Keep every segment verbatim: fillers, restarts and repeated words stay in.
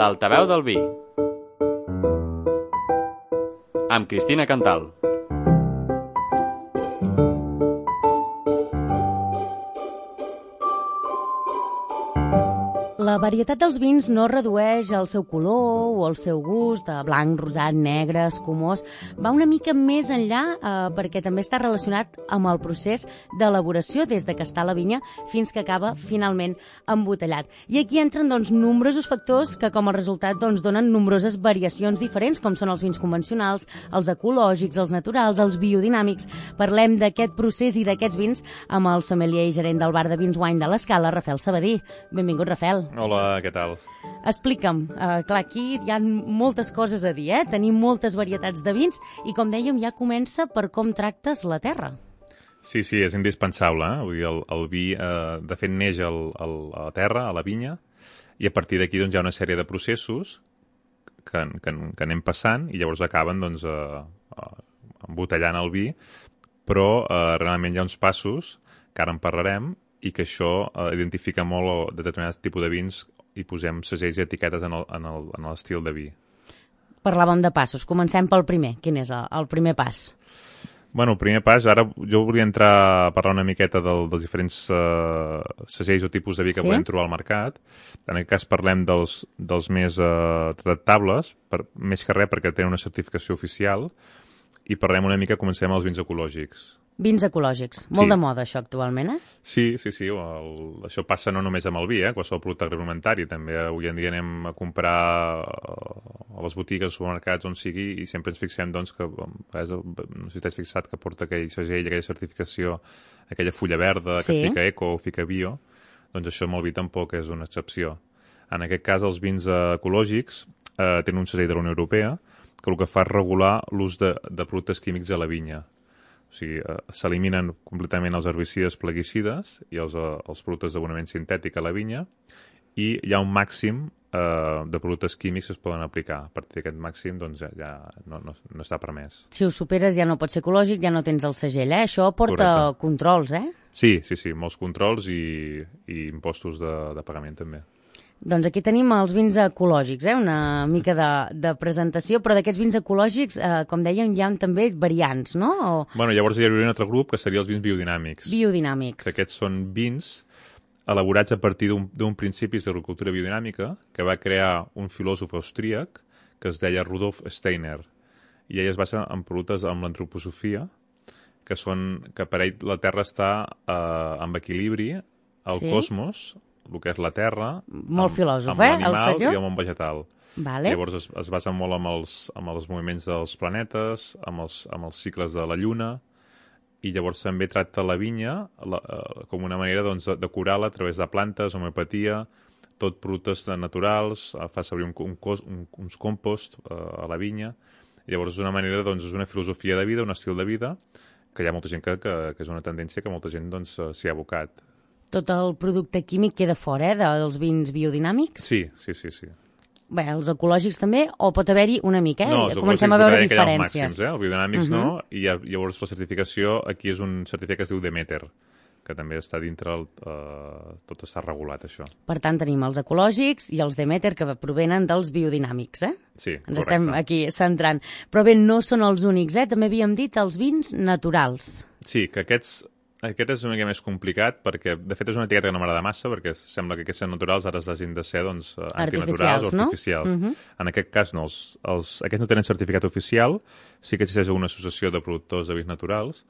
L'altaveu del vi. Amb Cristina Cantal. La varietat dels vins no redueix el seu color o el seu gust de blanc, rosat, negre, escumós. Va una mica més enllà eh, perquè també està relacionat amb el procés d'elaboració des de que està a la vinya fins que acaba finalment embotellat. I aquí entren doncs, nombrosos factors que com a resultat doncs, donen nombroses variacions diferents, com són els vins convencionals, els ecològics, els naturals, els biodinàmics. Parlem d'aquest procés i d'aquests vins amb el sommelier i gerent del bar de vins Wine de l'Escala, Rafael Sabadí. Benvingut, Rafael. Hola, què tal? Explica'm, uh, clar, aquí hi ha moltes coses a dir, eh? Tenim moltes varietats de vins i, com dèiem, ja comença per com tractes la terra. Sí, sí, és indispensable. Eh? Vull dir, el, el vi, eh, de fet, neix el, el, a la terra, a la vinya, i a partir d'aquí doncs, hi ha una sèrie de processos que, que, que anem passant i llavors acaben doncs, eh, embotellant el vi, però eh, realment hi ha uns passos, que ara en parlarem, i que això eh, identifica molt determinats tipus de vins i posem segells i etiquetes en el, en el, en l'estil de vi. Parlàvem de passos. Comencem pel primer. Quin és el, el primer pas? Bueno, el primer pas, ara jo volia entrar a parlar una miqueta del, dels diferents uh, segells o tipus de vi que sí? podem trobar al mercat. En aquest cas parlem dels, dels més uh, tractables, per, més que res perquè tenen una certificació oficial, i parlem una mica, comencem amb els vins ecològics. Vins ecològics. Molt sí. de moda, això, actualment, eh? Sí, sí, sí. El, això passa no només amb el vi, eh? Qualsevol producte agroalimentari. També avui en dia anem a comprar a les botigues, als supermercats, on sigui, i sempre ens fixem, doncs, que no sé si t'has fixat que porta aquell segell, aquella certificació, aquella fulla verda, que sí? fica eco o fica bio. Doncs això amb el vi tampoc és una excepció. En aquest cas, els vins ecològics eh, tenen un segell de la Unió Europea que el que fa és regular l'ús de, de productes químics a la vinya. O sigui, eh, s'eliminen completament els herbicides plaguicides i els, eh, els productes d'abonament sintètic a la vinya i hi ha un màxim eh, de productes químics que es poden aplicar. A partir d'aquest màxim doncs, ja, ja no, no, no està permès. Si ho superes ja no pot ser ecològic, ja no tens el segell, eh? Això porta Correcte. Controls, eh? Sí, sí, sí, molts controls i, i impostos de, de pagament també. Doncs aquí tenim els vins ecològics, eh? Una mica de, de presentació, però d'aquests vins ecològics, eh, com dèiem, hi ha també variants, no? O... Bueno, llavors hi hauria un altre grup que seria els vins biodinàmics. Biodinàmics. Que aquests són vins elaborats a partir d'un principis d'agricultura biodinàmica que va crear un filòsof austríac que es deia Rudolf Steiner. I ell es basa en productes amb l'antroposofia, que són que per ell la Terra està eh, en equilibri, el sí? cosmos, el que és la Terra, molt amb, filòsof, amb eh, l'animal i el món vegetal. Vale. Llavors es, es basa molt amb els, amb els moviments dels planetes, amb els, amb els cicles de la Lluna, i llavors també tracta la vinya la, eh, com una manera doncs, de, de curar-la a través de plantes, homeopatia, tot productes naturals, eh, fa servir un, un, un, uns compost eh, a la vinya. Llavors és una manera, doncs, és una filosofia de vida, un estil de vida, que hi ha molta gent que, que, que és una tendència que molta gent doncs, s'hi ha abocat. Tot el producte químic queda fora, eh, dels vins biodinàmics? Sí, sí, sí, sí. Bé, els ecològics també, o pot haver-hi una mica, eh? No, els Comencem a veure diferències. Màxims, eh? Els biodinàmics uh -huh. no, i llavors la certificació, aquí és un certificat que es diu Demeter, que també està dintre, el, eh, tot està regulat, això. Per tant, tenim els ecològics i els Demeter, que provenen dels biodinàmics, eh? Sí, Ens correcte. estem aquí centrant. Però bé, no són els únics, eh? També havíem dit els vins naturals. Sí, que aquests... Aquest és una mica més complicat perquè, de fet, és una etiqueta que no m'agrada massa perquè sembla que aquests naturals ara hagin de ser doncs, antinaturals o artificials. No? Uh -huh. En aquest cas, no. Els, els, aquests no tenen certificat oficial, sí que existeix una associació de productors de vins naturals,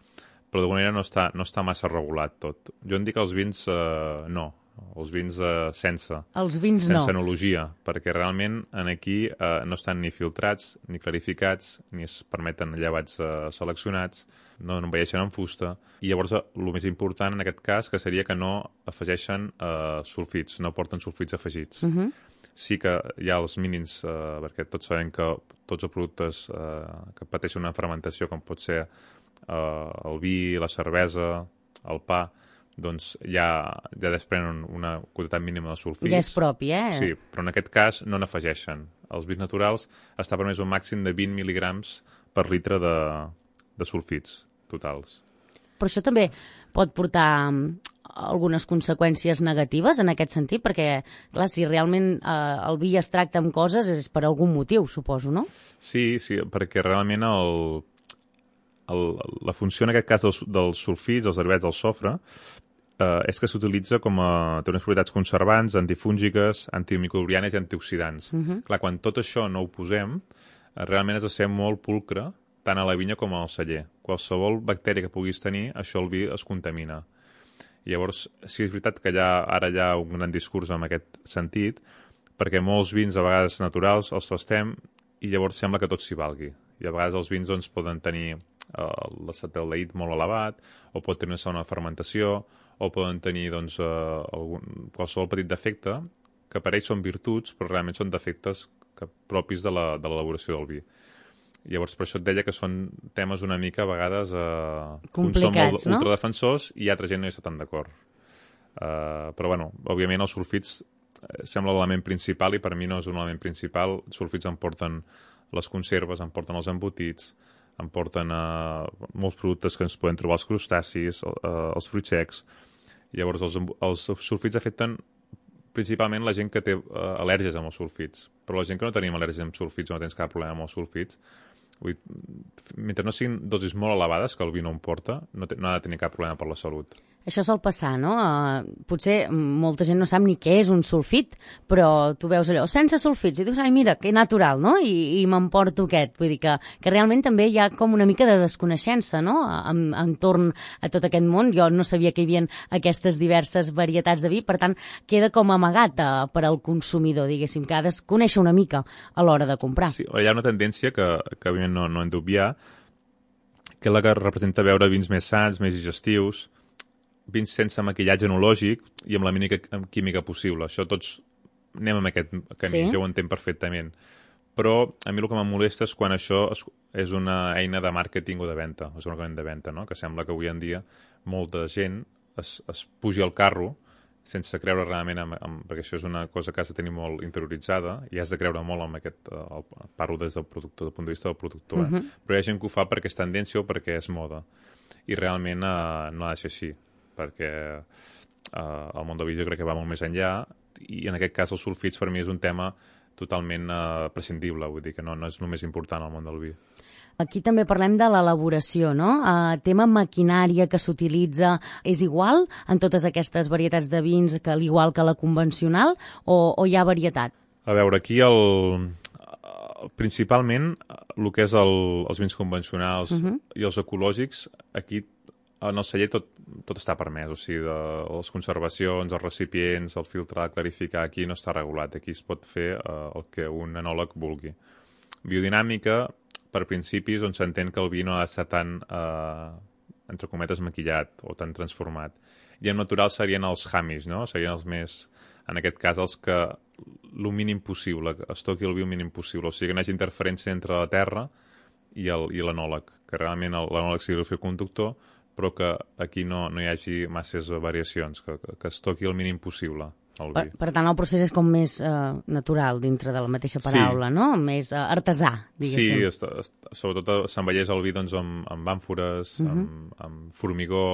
però d'alguna manera no està, no està massa regulat tot. Jo en dic els vins eh, no, els vins eh, sense. Els vins sense no. enologia, perquè realment en aquí eh, no estan ni filtrats, ni clarificats, ni es permeten llevats eh, seleccionats, no envelleixen en fusta, i llavors el més important en aquest cas que seria que no afegeixen eh, sulfits, no porten sulfits afegits. Uh -huh. Sí que hi ha els mínims, eh, perquè tots sabem que tots els productes eh, que pateixen una fermentació, com pot ser eh, el vi, la cervesa, el pa, doncs ja, ja desprenen una quantitat mínima de sulfits. Ja és propi, eh? Sí, però en aquest cas no n'afegeixen. Els vins naturals està permès un màxim de vint mil·ligrams per litre de, de sulfits totals. Però això també pot portar algunes conseqüències negatives en aquest sentit? Perquè, clar, si realment eh, el vi es tracta amb coses és per algun motiu, suposo, no? Sí, sí, perquè realment el, el, la funció en aquest cas dels, dels sulfits, dels derivats del sofre, eh, és que s'utilitza com a... té unes propietats conservants, antifúngiques, antimicrobianes i antioxidants. Uh -huh. Clar, quan tot això no ho posem, eh, realment has de ser molt pulcre, tant a la vinya com al celler. Qualsevol bactèria que puguis tenir, això el vi es contamina. Llavors, sí és veritat que ja, ara hi ha un gran discurs en aquest sentit, perquè molts vins, a vegades naturals, els tastem i llavors sembla que tot s'hi valgui. I a vegades els vins doncs, poden tenir eh, l'acetaldehid molt elevat, o pot tenir una segona fermentació, o poden tenir doncs, eh, algun, qualsevol petit defecte, que per ells són virtuts, però realment són defectes que, propis de la, de l'elaboració del vi. Llavors, per això et deia que són temes una mica, a vegades, eh, complicats, són molt no? ultradefensors i altra gent no hi està tan d'acord. Uh, però, bueno, òbviament els sulfits eh, sembla l'element principal i per mi no és un element principal. Els sulfits em porten les conserves, em porten els embotits, em porten uh, molts productes que ens poden trobar els crustacis, uh, els fruits secs. Llavors, els, els sulfits afecten principalment la gent que té uh, al·lèrgies amb els sulfits. Però la gent que no tenim al·lèrgies amb sulfits o no tens cap problema amb els sulfits, vull, mentre no siguin dosis molt elevades, que el vi no em porta, no, te, no ha de tenir cap problema per la salut. Això sol passar, no? Uh, potser molta gent no sap ni què és un sulfit, però tu veus allò, sense sulfits, i dius, ai, mira, que natural, no? I, i m'emporto aquest. Vull dir que, que realment també hi ha com una mica de desconeixença, no?, en, entorn a tot aquest món. Jo no sabia que hi havia aquestes diverses varietats de vi, per tant, queda com amagat uh, per al consumidor, diguéssim, que ha de conèixer una mica a l'hora de comprar. Sí, hi ha una tendència que, que evidentment, no, no hem d'obviar, que és la que representa veure vins més sants, més digestius, vins sense maquillatge enològic i amb la mínima química possible. Això tots anem amb aquest camí, sí. Jo ho entenc perfectament. Però a mi el que em molesta és quan això és una eina de màrqueting o de venda, és un argument de venda, no? Que sembla que avui en dia molta gent es, es pugi al carro sense creure realment, en, en, perquè això és una cosa que has de tenir molt interioritzada i has de creure molt en aquest, el, parlo des del productor, del punt de vista del productor, eh? Uh-huh. Però hi ha gent que ho fa perquè és tendència o perquè és moda. I realment eh, no ha de ser així, perquè eh, el món del vi jo crec que va molt més enllà i en aquest cas els sulfits per mi és un tema totalment eh, prescindible, vull dir que no, no és només important al món del vi. Aquí també parlem de l'elaboració, no? Uh, tema maquinària que s'utilitza és igual en totes aquestes varietats de vins que l'igual que la convencional o, o hi ha varietat? A veure, aquí el, principalment el que és el, els vins convencionals uh-huh. i els ecològics, aquí en el celler tot, tot està permès, o sigui, de, les conservacions, els recipients, el filtrar, clarificar, aquí no està regulat, aquí es pot fer uh, el que un enòleg vulgui. Biodinàmica, per principis, on s'entén que el vi no ha d'estar tan, eh, entre cometes, maquillat o tan transformat. I en natural serien els hamis, no? Serien els més, en aquest cas, els que el mínim possible, que es toqui el vi el mínim possible. O sigui, que no hi hagi interferència entre la terra i l'enòleg, que realment l'enòleg sigui el fil conductor, però que aquí no, no hi hagi masses variacions, que, que es toqui el mínim possible. Per, per tant, el procés és com més uh, natural dintre de la mateixa paraula, sí. No? Més uh, artesà, diguéssim. Sí, est, est, sobretot s'envelleix el vi doncs, amb, amb àmfores, uh-huh. amb, amb formigó,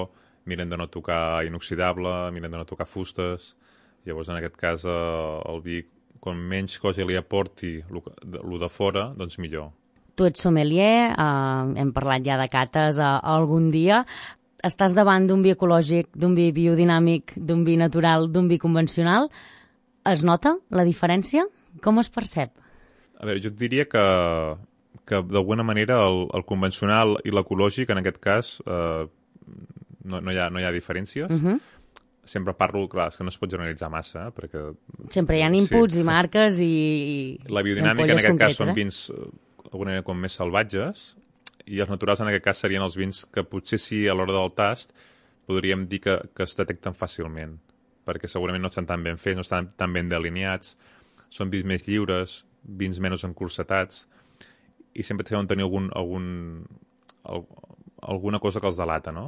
miren de no tocar inoxidable, miren de no tocar fustes. Llavors, en aquest cas, uh, el vi, com menys cosa li aporti el de fora, doncs millor. Tu ets sommelier, uh, hem parlat ja de cates uh, algun dia. Estàs davant d'un vi ecològic, d'un vi biodinàmic, d'un vi natural, d'un vi convencional. Es nota la diferència? Com es percep? A veure, jo et diria que, que d'alguna manera el, el convencional i l'ecològic, en aquest cas, eh, no, no, hi ha, no hi ha diferències. Uh-huh. Sempre parlo, clar, és que no es pot generalitzar massa, eh, perquè... Sempre hi ha inputs sí. i marques i... La biodinàmica, en aquest cas, són vins d'alguna manera com més salvatges, i els naturals en aquest cas serien els vins que potser sí a l'hora del tast podríem dir que, que es detecten fàcilment, perquè segurament no estan tan ben fets, no estan tan ben delineats, són vins més lliures, vins menys encursetats, i sempre deuen tenir algun, algun, alguna cosa que els delata, no?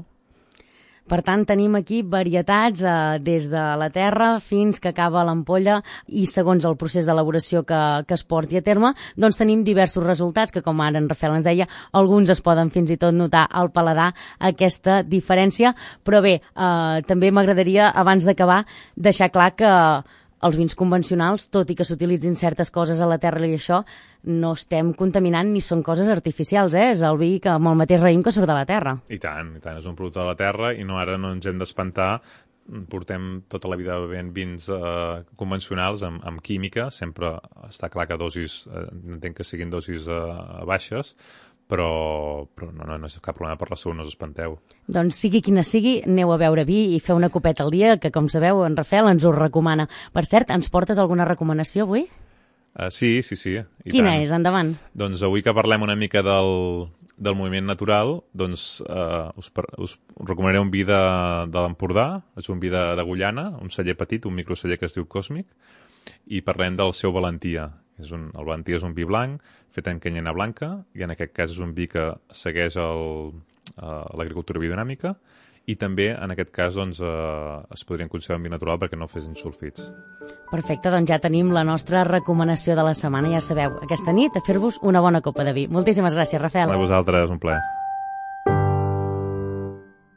Per tant, tenim aquí varietats eh, des de la terra fins que acaba l'ampolla i segons el procés d'elaboració que, que es porti a terme, doncs tenim diversos resultats que, com ara en Rafael ens deia, alguns es poden fins i tot notar al paladar aquesta diferència. Però bé, eh, també m'agradaria, abans d'acabar, deixar clar que els vins convencionals, tot i que s'utilitzin certes coses a la terra i això, no estem contaminant ni són coses artificials, eh? És el vi que amb el mateix raïm que surt de la terra. I tant, i tant, és un producte de la terra i no ara no ens hem d'espantar. Portem tota la vida bevent vins eh, convencionals amb, amb química, sempre està clar que dosis, eh, entenc que siguin dosis eh, baixes, però, però no, no, no és cap problema per la salut, no us espanteu. Doncs sigui quina sigui, aneu a beure vi i feu una copeta al dia, que com sabeu, en Rafael ens ho recomana. Per cert, ens portes alguna recomanació avui? Uh, sí, sí, sí. I Quina tant. és? Endavant. Doncs avui que parlem una mica del, del moviment natural, doncs uh, us, us recomanaré un vi de, de l'Empordà, és un vi d'Agullana, un celler petit, un microceller que es diu Còsmic, i parlem del seu Valentia. És un, el Valentia és un vi blanc fet en canyena blanca, i en aquest cas és un vi que segueix el, uh, l'agricultura biodinàmica, i també, en aquest cas, doncs, eh, es podrien considerar un vi natural perquè no fessin sulfits. Perfecte, doncs ja tenim la nostra recomanació de la setmana. Ja sabeu, aquesta nit a fer-vos una bona copa de vi. Moltíssimes gràcies, Rafael. A vosaltres, un plaer.